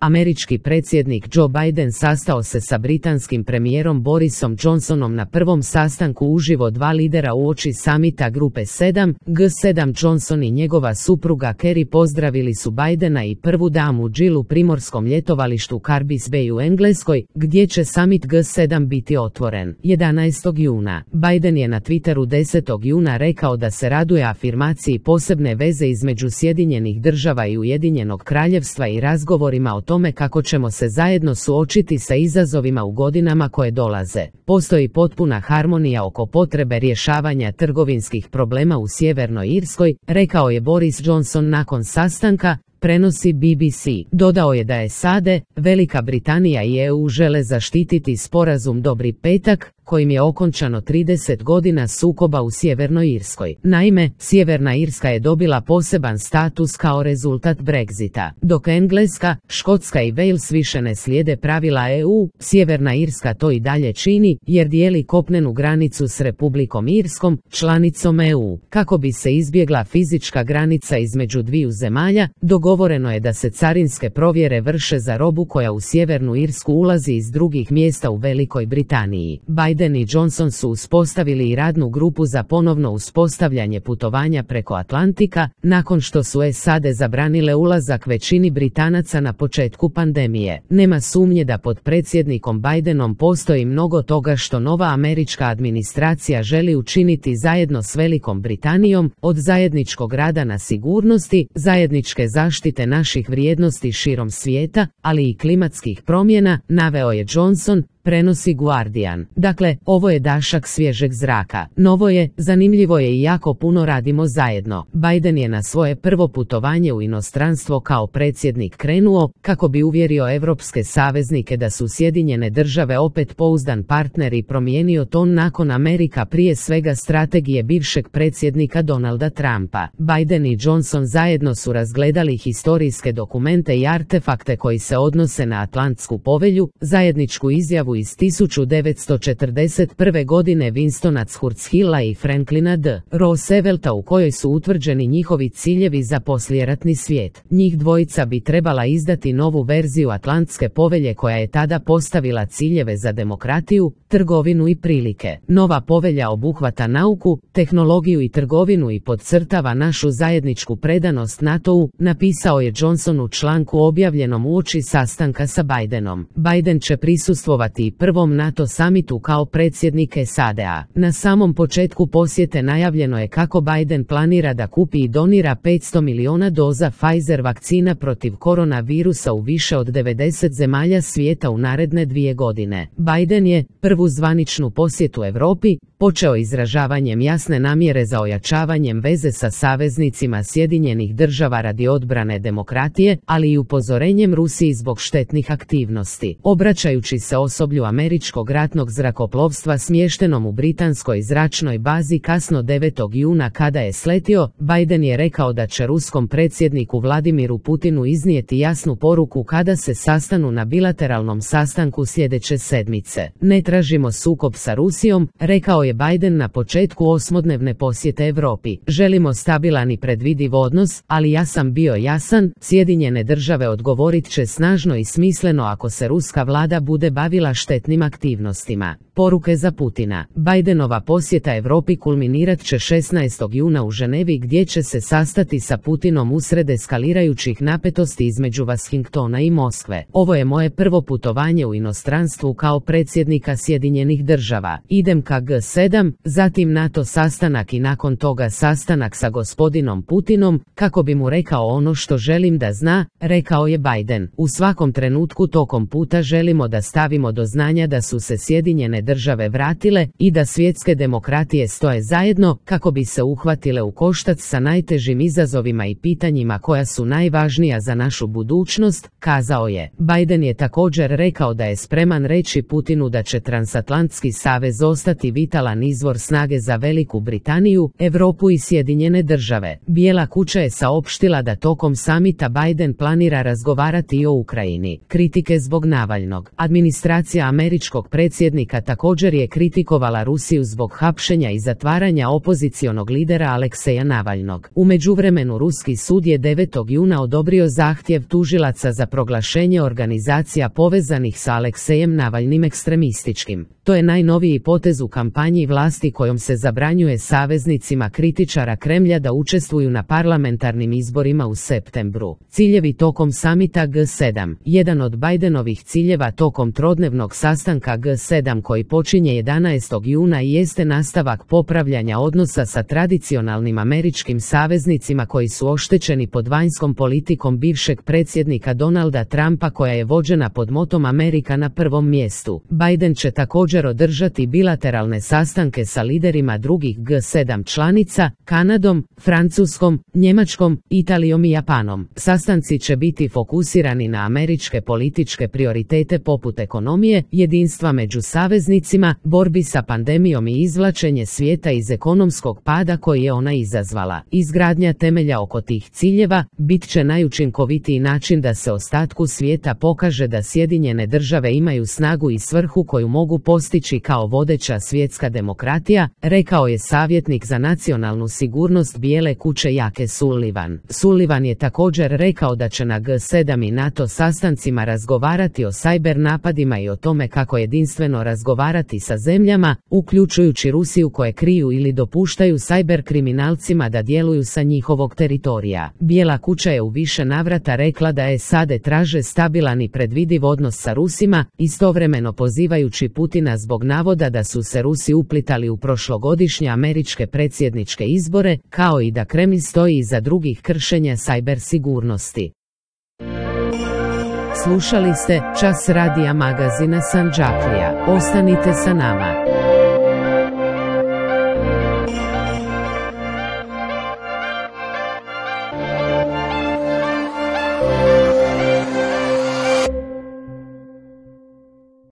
američki predsjednik Joe Biden sastao se sa britanskim premijerom Borisom Johnsonom na prvom sastanku uživo dva lidera uoči samita Grupe 7, G7. Johnson i njegova supruga Kerry pozdravili su Bidena i prvu damu Jill u primorskom ljetovalištu Carbis Bay u Engleskoj, gdje će samit G7 biti otvoren. 11. juna. Biden je na Twitteru 10. juna rekao da se raduje afirmaciji posebne veze između Sjedinjenih država i Ujedinjenog kraljevstva i razgovorima o tome kako ćemo se zajedno suočiti sa izazovima u godinama koje dolaze. Postoji potpuna harmonija oko potrebe rješavanja trgovinskih problema u Sjevernoj Irskoj, rekao je Boris Johnson nakon sastanka, prenosi BBC. Dodao je da je SAD, Velika Britanija i EU žele zaštititi sporazum Dobri petak, kojim je okončano 30 godina sukoba u Sjevernoj Irskoj. Naime, Sjeverna Irska je dobila poseban status kao rezultat Brexita. Dok Engleska, Škotska i Wales više ne slijede pravila EU, Sjeverna Irska to i dalje čini, jer dijeli kopnenu granicu s Republikom Irskom, članicom EU. Kako bi se izbjegla fizička granica između dviju zemalja, dogovoreno je da se carinske provjere vrše za robu koja u Sjevernu Irsku ulazi iz drugih mjesta u Velikoj Britaniji. Biden i Johnson su uspostavili i radnu grupu za ponovno uspostavljanje putovanja preko Atlantika, nakon što su SAD zabranile ulazak većini Britanaca na početku pandemije. Nema sumnje da pod predsjednikom Bidenom postoji mnogo toga što nova američka administracija želi učiniti zajedno s Velikom Britanijom, od zajedničkog rada na sigurnosti, zajedničke zaštite naših vrijednosti širom svijeta, ali i klimatskih promjena, naveo je Johnson, prenosi Guardian. Dakle, ovo je dašak svježeg zraka. Novo je, zanimljivo je i jako puno radimo zajedno. Biden je na svoje prvo putovanje u inostranstvo kao predsjednik krenuo, kako bi uvjerio evropske saveznike da su Sjedinjene države opet pouzdan partner i promijenio ton nakon Amerika prije svega strategije bivšeg predsjednika Donalda Trumpa. Biden i Johnson zajedno su razgledali historijske dokumente i artefakte koji se odnose na Atlantsku povelju, zajedničku izjavu iz 1941. godine Winstona Churchilla i Franklina D. Roosevelta u kojoj su utvrđeni njihovi ciljevi za poslijeratni svijet. Njih dvojica bi trebala izdati novu verziju Atlantske povelje koja je tada postavila ciljeve za demokratiju, trgovinu i prilike. Nova povelja obuhvata nauku, tehnologiju i trgovinu i podcrtava našu zajedničku predanost NATO-u, napisao je Johnson u članku objavljenom uoči sastanka sa Bidenom. Biden će prisustvovati i prvom NATO samitu kao predsjednik SAD-a. Na samom početku posjete najavljeno je kako Biden planira da kupi i donira 500 miliona doza Pfizer vakcina protiv koronavirusa u više od 90 zemalja svijeta u naredne 2 godine. Biden je prvu zvaničnu posjetu Europi počeo izražavanjem jasne namjere za ojačavanjem veze sa saveznicima Sjedinjenih država radi odbrane demokratije, ali i upozorenjem Rusiji zbog štetnih aktivnosti. Obraćajući se osoblju američkog ratnog zrakoplovstva smještenom u britanskoj zračnoj bazi kasno 9. juna kada je sletio, Biden je rekao da će ruskom predsjedniku Vladimiru Putinu iznijeti jasnu poruku kada se sastanu na bilateralnom sastanku sljedeće sedmice. Ne tražimo sukob sa Rusijom, rekao je Biden na početku 8-dnevne posjete Europi. Želimo stabilan i predvidiv odnos, ali ja sam bio jasan, Sjedinjene države odgovorit će snažno i smisleno ako se ruska vlada bude bavila štetnim aktivnostima. Poruke za Putina. Bidenova posjeta Europi kulminirat će 16. juna u Ženevi gdje će se sastati sa Putinom usred eskalirajućih napetosti između Washingtona i Moskve. Ovo je moje prvo putovanje u inostranstvu kao predsjednika Sjedinjenih država. Idem ka G7, zatim NATO sastanak i nakon toga sastanak sa gospodinom Putinom, kako bi mu rekao ono što želim da zna, rekao je Biden. U svakom trenutku tokom puta želimo da stavimo do znanja da su se Sjedinjene države vratile i da svjetske demokratije stoje zajedno kako bi se uhvatile u koštac sa najtežim izazovima i pitanjima koja su najvažnija za našu budućnost, kazao je. Biden je također rekao da je spreman reći Putinu da će transatlantski savez ostati vitalan izvor snage za Veliku Britaniju, Europu i Sjedinjene države. Bijela kuća je saopštila da tokom samita Biden planira razgovarati i o Ukrajini. Kritike zbog Navalnog. Administracija administracija američkog predsjednika također je kritikovala Rusiju zbog hapšenja i zatvaranja opozicionog lidera Alekseja Navalnog. U međuvremenu ruski sud je 9. juna odobrio zahtjev tužilaca za proglašenje organizacija povezanih sa Aleksejem Navalnim ekstremističkim. To je najnoviji potez u kampanji vlasti kojom se zabranjuje saveznicima kritičara Kremlja da učestvuju na parlamentarnim izborima u septembru. Ciljevi tokom samita G7. Jedan od Bidenovih ciljeva tokom trodnevnog sastanka G7 koji počinje 11. juna jeste nastavak popravljanja odnosa sa tradicionalnim američkim saveznicima koji su oštećeni pod vanjskom politikom bivšeg predsjednika Donalda Trumpa koja je vođena pod motom Amerika na prvom mjestu. Biden će također održati bilateralne sastanke sa liderima drugih G7 članica, Kanadom, Francuskom, Njemačkom, Italijom i Japanom. Sastanci će biti fokusirani na američke političke prioritete poput ekonomije, jedinstva među saveznicima, borbi sa pandemijom i izvlačenje svijeta iz ekonomskog pada koji je ona izazvala. Izgradnja temelja oko tih ciljeva bit će najučinkovitiji način da se ostatku svijeta pokaže da Sjedinjene države imaju snagu i svrhu koju mogu postići kao vodeća svjetska demokratija, rekao je savjetnik za nacionalnu sigurnost Bijele kuće Jake Sullivan. Sullivan je također rekao da će na G7 i NATO sastancima razgovarati o sajber napadima i o tome kako jedinstveno razgovarati sa zemljama, uključujući Rusiju koje kriju ili dopuštaju sajber kriminalcima da djeluju sa njihovog teritorija. Bijela kuća je u više navrata rekla da SAD traže stabilan i predvidiv odnos sa Rusima, istovremeno pozivajući Putina zbog navoda da su se Rusi uplitali u prošlogodišnje američke predsjedničke izbore, kao i da Kremlj stoji iza drugih kršenja sajber sigurnosti. Slušali ste Čas radija magazina Sandžaklija. Ostanite sa nama.